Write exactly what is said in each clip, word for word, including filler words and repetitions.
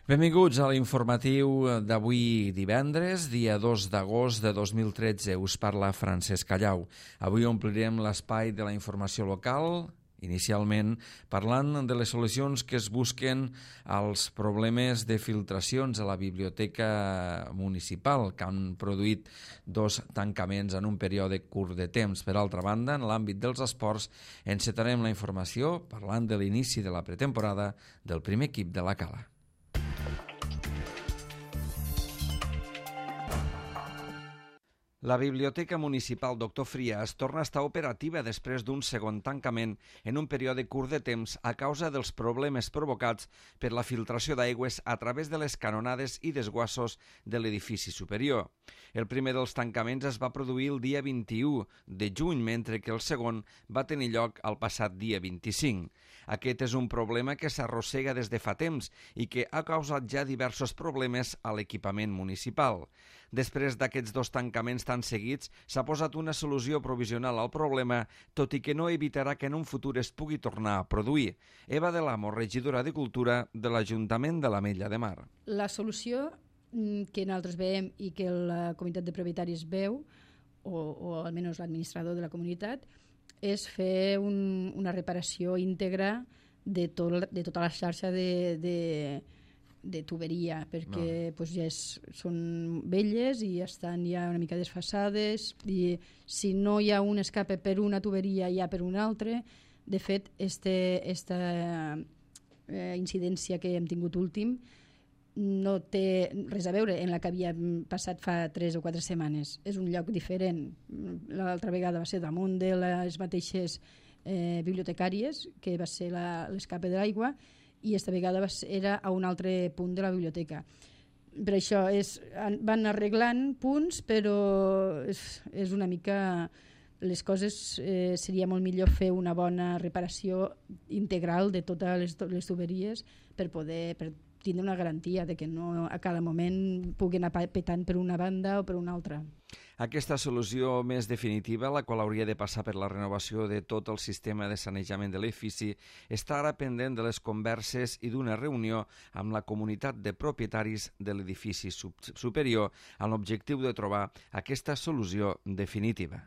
Benvinguts a l'informatiu d'avui divendres, dia dos d'agost de dos mil tretze. Us parla Francesc Callau. Avui omplirem l'espai de la informació local, inicialment parlant de les solucions que es busquen als problemes de filtracions a la biblioteca municipal, que han produït dos tancaments en un període curt de temps. Per altra banda, en l'àmbit dels esports, encetarem la informació parlant de l'inici de la pretemporada del primer equip de la Cala. La Biblioteca Municipal Doctor Frias torna a estar operativa després d'un segon tancament en un període curt de temps a causa dels problemes provocats per la filtració d'aigües a través de les canonades i desguassos de l'edifici superior. El primer dels tancaments es va produir el dia vint-i-u de juny, mentre que el segon va tenir lloc el passat dia vint-i-cinc. Aquest és un problema que s'arrossega des de fa temps i que ha causat ja diversos problemes a l'equipament municipal. Després d'aquests dos tancaments tan seguits, s'ha posat una solució provisional al problema, tot i que no evitarà que en un futur es pugui tornar a produir. Eva de l'Amo, regidora de Cultura de l'Ajuntament de l'Ametlla de Mar. La solució que nosaltres veiem i que la comunitat de propietaris veu, o, o almenys l'administrador de la comunitat, és fer un, una reparació íntegra de, tot, de tota la xarxa de... de de tuberia, perquè no. pues, ja és, són velles i estan ja una mica desfasades, i si no hi ha un escape per una tuberia hi ha per una altra. De fet, este, esta eh, incidència que hem tingut últim no té res a veure en la que havia passat fa tres o quatre setmanes. És un lloc diferent. L'altra vegada va ser damunt de les mateixes eh, bibliotecàries, que va ser l'escape de l'aigua, i esta vegada era a un altre punt de la biblioteca. Per això és, van arreglant punts, però és, és una mica... Les coses eh, seria molt millor fer una bona reparació integral de totes les, les tuberies per poder per tindre una garantia de que no a cada moment pugui anar petant per una banda o per una altra. Aquesta solució més definitiva, la qual hauria de passar per la renovació de tot el sistema de sanejament de l'edifici, està ara pendent de les converses i d'una reunió amb la comunitat de propietaris de l'edifici superior amb l'objectiu de trobar aquesta solució definitiva.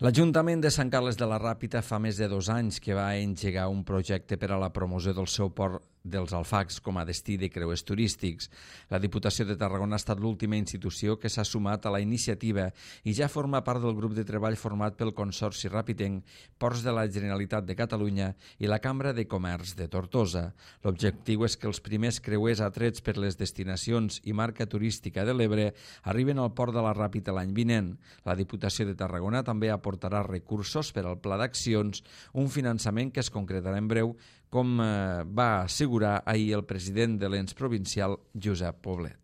L'Ajuntament de Sant Carles de la Ràpita fa més de dos anys que va engegar un projecte per a la promoció del seu port dels Alfacs com a destí de creuers turístics. La Diputació de Tarragona ha estat l'última institució que s'ha sumat a la iniciativa i ja forma part del grup de treball format pel Consorci Ràpitenc, Ports de la Generalitat de Catalunya i la Cambra de Comerç de Tortosa. L'objectiu és que els primers creuers atrets per les destinacions i marca turística de l'Ebre arriben al port de la Ràpita l'any vinent. La Diputació de Tarragona també aportarà recursos per al Pla d'Accions, un finançament que es concretarà en breu, com eh, va assegurar ahir el president de l'ens provincial, Josep Poblet.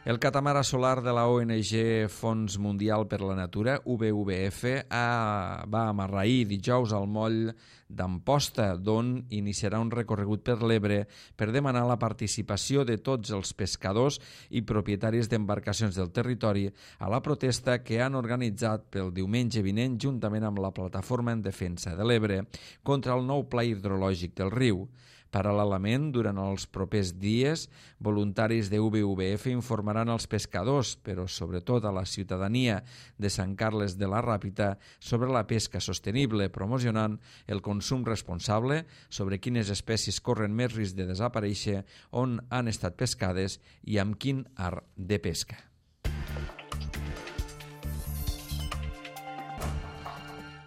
El catamarà solar de la O N G Fons Mundial per la Natura, W W F, ha, va amarrar ahir dijous al moll d'Amposta, d'on iniciarà un recorregut per l'Ebre per demanar la participació de tots els pescadors i propietaris d'embarcacions del territori a la protesta que han organitzat pel diumenge vinent juntament amb la Plataforma en Defensa de l'Ebre contra el nou pla hidrològic del riu. Paral·lelament, durant els propers dies, voluntaris de W W F informaran als pescadors, però sobretot a la ciutadania de Sant Carles de la Ràpita, sobre la pesca sostenible, promocionant el consum responsable, sobre quines espècies corren més risc de desaparèixer, on han estat pescades i amb quin art de pesca.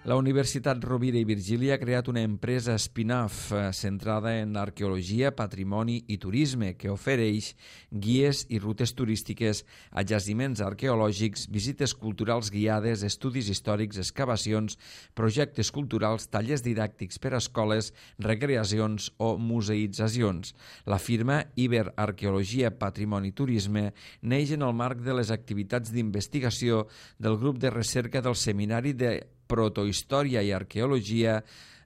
La Universitat Rovira i Virgili ha creat una empresa spin-off centrada en arqueologia, patrimoni i turisme que ofereix guies i rutes turístiques a jaciments arqueològics, visites culturals guiades, estudis històrics, excavacions, projectes culturals, tallers didàctics per a escoles, recreacions o museïtzacions. La firma Iber Arqueologia, Patrimoni i Turisme neix en el marc de les activitats d'investigació del grup de recerca del Seminari de protohistòria i arqueologia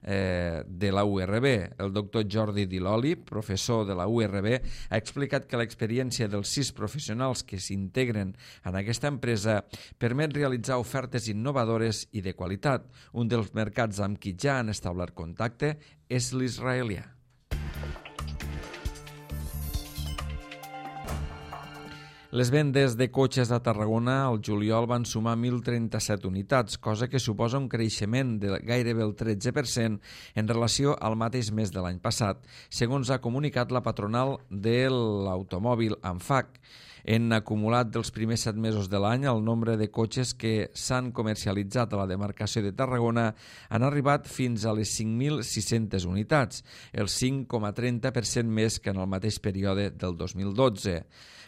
eh, de la U R B. El doctor Jordi Diloli, professor de la U R B, ha explicat que l'experiència dels sis professionals que s'integren en aquesta empresa permet realitzar ofertes innovadores i de qualitat. Un dels mercats amb qui ja han establert contacte és l'israelià. Les vendes de cotxes a Tarragona al juliol van sumar mil trenta-set unitats, cosa que suposa un creixement de gairebé el tretze per cent en relació al mateix mes de l'any passat, segons ha comunicat la patronal de l'automòbil ANFAC. En acumulat dels primers set mesos de l'any, el nombre de cotxes que s'han comercialitzat a la demarcació de Tarragona han arribat fins a les cinc mil sis-centes unitats, el cinc coma trenta per cent més que en el mateix període del dos mil dotze.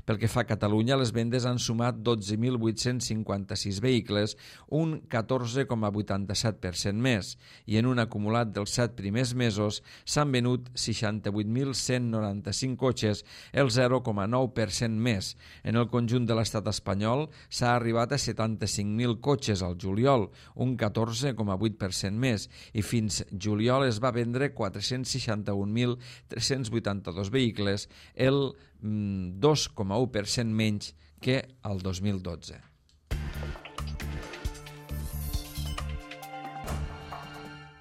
Pel que fa a Catalunya, les vendes han sumat dotze mil vuit-cents cinquanta-sis vehicles, un catorze coma vuitanta-set per cent més, i en un acumulat dels set primers mesos s'han venut seixanta-vuit mil cent noranta-cinc cotxes, el zero coma nou per cent més. En el conjunt de l'estat espanyol s'ha arribat a setanta-cinc mil cotxes al juliol, un catorze coma vuit per cent més, i fins juliol es va vendre quatre-cents seixanta-un mil tres-cents vuitanta-dos vehicles, el dos coma u per cent menys que el dos mil dotze.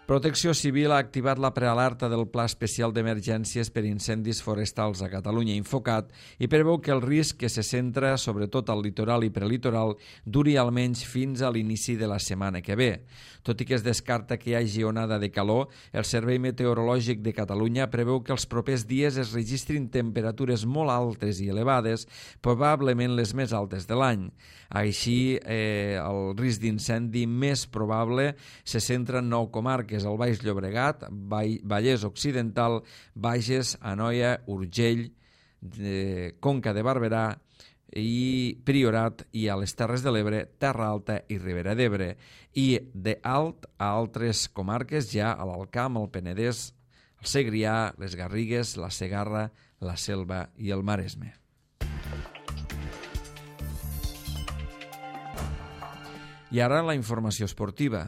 Protecció Civil ha activat la prealerta del Pla Especial d'Emergències per Incendis Forestals a Catalunya, Infocat, i preveu que el risc, que se centra sobretot al litoral i prelitoral, duri almenys fins a l'inici de la setmana que ve. Tot i que es descarta que hi hagi onada de calor, el Servei Meteorològic de Catalunya preveu que els propers dies es registrin temperatures molt altes i elevades, probablement les més altes de l'any. Així, eh, el risc d'incendi més probable se centra en nou comarques: el Baix Llobregat, Vallès Occidental, Bages, Anoia, Urgell, de Conca de Barberà i Priorat, i a les Terres de l'Ebre, Terra Alta i Ribera d'Ebre, i de alt a altres comarques ja a l'Alt Camp, el Penedès, el Segrià, les Garrigues, la Segarra, la Selva i el Maresme. I ara la informació esportiva.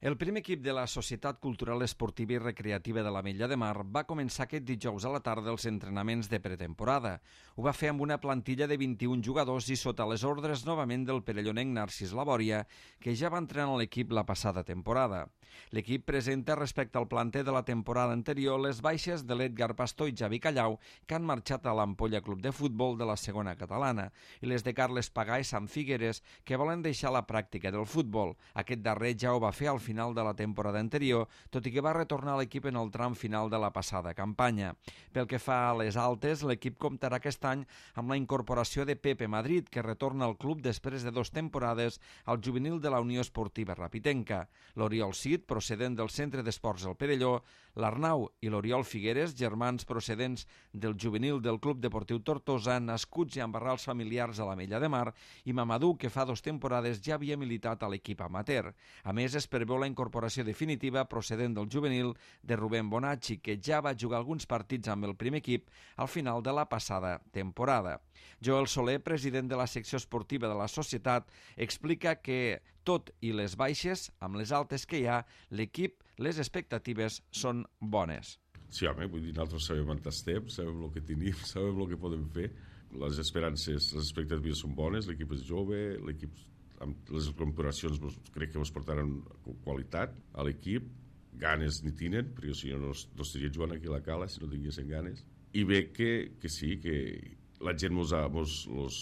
El primer equip de la Societat Cultural Esportiva i Recreativa de l'Ametlla de Mar va començar aquest dijous a la tarda els entrenaments de pretemporada. Ho va fer amb una plantilla de vint-i-un jugadors i sota les ordres novament del perellonenc Narcís Labòria, que ja va entrenar l'equip la passada temporada. L'equip presenta respecte al planter de la temporada anterior les baixes de l'Edgar Pastor i Javi Callau, que han marxat a l'Ampolla Club de Futbol de la segona catalana, i les de Carles Pagà i Sam Figueres, que volen deixar la pràctica del futbol. Aquest darrer ja ho va fer al final final de la temporada anterior, tot i que va retornar a l'equip en el tram final de la passada campanya. Pel que fa a les altes, l'equip comptarà aquest any amb la incorporació de Pepe Madrid, que retorna al club després de dues temporades al juvenil de la Unió Esportiva Rapitenca. L'Oriol Cid, procedent del Centre d'Esports El Perelló, l'Arnau i l'Oriol Figueres, germans procedents del juvenil del Club Deportiu Tortosa, nascuts i amb arrels familiars a l'Ametlla de Mar, i Mamadou, que fa dues temporades ja havia militat a l'equip amateur. A més, es preveu la incorporació definitiva procedent del juvenil de Rubén Bonacci, que ja va jugar alguns partits amb el primer equip al final de la passada temporada. Joel Soler, president de la secció esportiva de la societat, explica que, tot i les baixes, amb les altes que hi ha, l'equip, les expectatives són bones. Sí, home, vull dir, nosaltres sabem on estem, sabem el que tenim, sabem el que podem fer. Les esperances, les expectatives són bones, l'equip és jove, l'equip, amb les incorporacions crec que ens portaran qualitat a l'equip, ganes ni tenen, perquè si no, no estaria jugant aquí a la Cala si no tinguessin ganes. I bé que, que sí, que la gent mos, mos, los,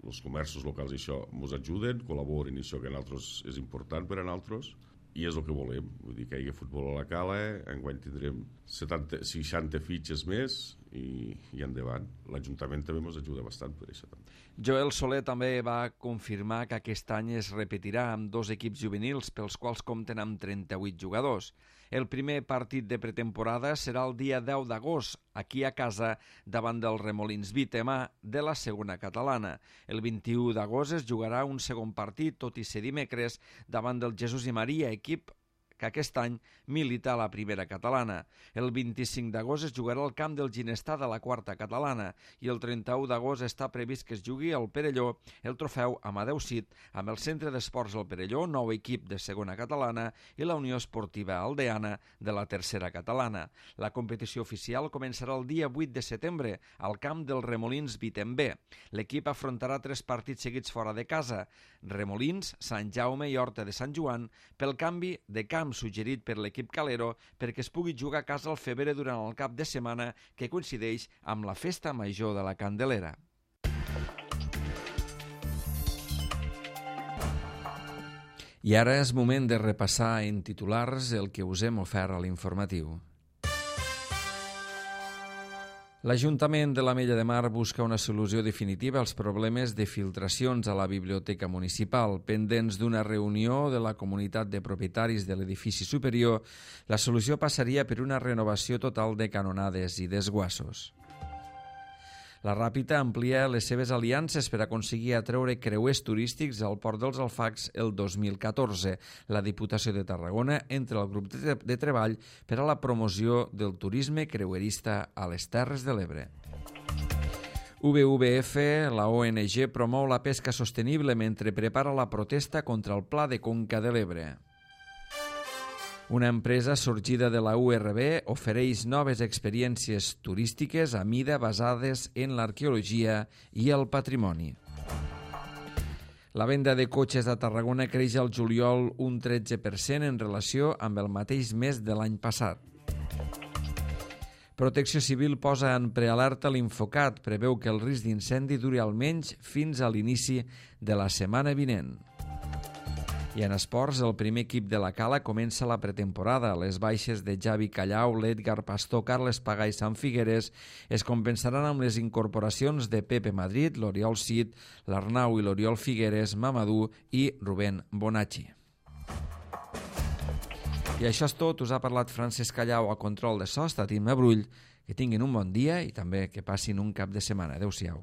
els comerços locals i això mos ajuden, col·laboren, i això que a nosaltres és important per a nosaltres, i és el que volem. Vull dir que hi ha futbol a la Cala, enguany tindrem setanta, seixanta fitxes més i, i endavant. L'Ajuntament també ens ajuda bastant per això. Joel Soler també va confirmar que aquest any es repetirà amb dos equips juvenils pels quals compten amb trenta-vuit jugadors. El primer partit de pretemporada serà el dia deu d'agost, aquí a casa, davant del Remolins Vitema de la segona catalana. El vint-i-u d'agost es jugarà un segon partit, tot i ser dimecres, davant del Jesús i Maria, equip que aquest any milita a la primera catalana. El vint-i-cinc d'agost es jugarà al camp del Ginestar de la quarta catalana i el trenta-u d'agost està previst que es jugui al Perelló el trofeu Amadeu Cid amb el Centre d'Esports del Perelló, nou equip de segona catalana, i la Unió Esportiva Aldeana de la tercera catalana. La competició oficial començarà el dia vuit de setembre al camp dels Remolins Vitembé. L'equip afrontarà tres partits seguits fora de casa: Remolins, Sant Jaume i Horta de Sant Joan, pel canvi de camp suggerit per l'equip calero perquè es pugui jugar a casa al Febrer durant el cap de setmana que coincideix amb la festa major de la Candelera. I ara és moment de repassar en titulars el que us hem ofert a l'informatiu. L'Ajuntament de l'Ametlla de Mar busca una solució definitiva als problemes de filtracions a la biblioteca municipal. Pendents d'una reunió de la comunitat de propietaris de l'edifici superior, la solució passaria per una renovació total de canonades i desguassos. La Ràpita amplia les seves aliances per aconseguir atreure creuers turístics al Port dels Alfacs el dos mil catorze. La Diputació de Tarragona entra al grup de, de treball per a la promoció del turisme creuerista a les Terres de l'Ebre. W W F, la O N G, promou la pesca sostenible mentre prepara la protesta contra el Pla de Conca de l'Ebre. Una empresa sorgida de la U R B ofereix noves experiències turístiques a mida basades en l'arqueologia i el patrimoni. La venda de cotxes a Tarragona creix al juliol un tretze per cent en relació amb el mateix mes de l'any passat. Protecció Civil posa en prealerta l'Infocat, preveu que el risc d'incendi duri almenys fins a l'inici de la setmana vinent. I en esports, el primer equip de la Cala comença la pretemporada. Les baixes de Javi Callau, l'Edgar Pastor, Carles Pagà i Sant Figueres es compensaran amb les incorporacions de Pepe Madrid, l'Oriol Cid, l'Arnau i l'Oriol Figueres, Mamadou i Rubén Bonacci. I això és tot. Us ha parlat Francesc Callau a control de so, està Tim Brull. Que tinguin un bon dia i també que passin un cap de setmana. Adéu-siau.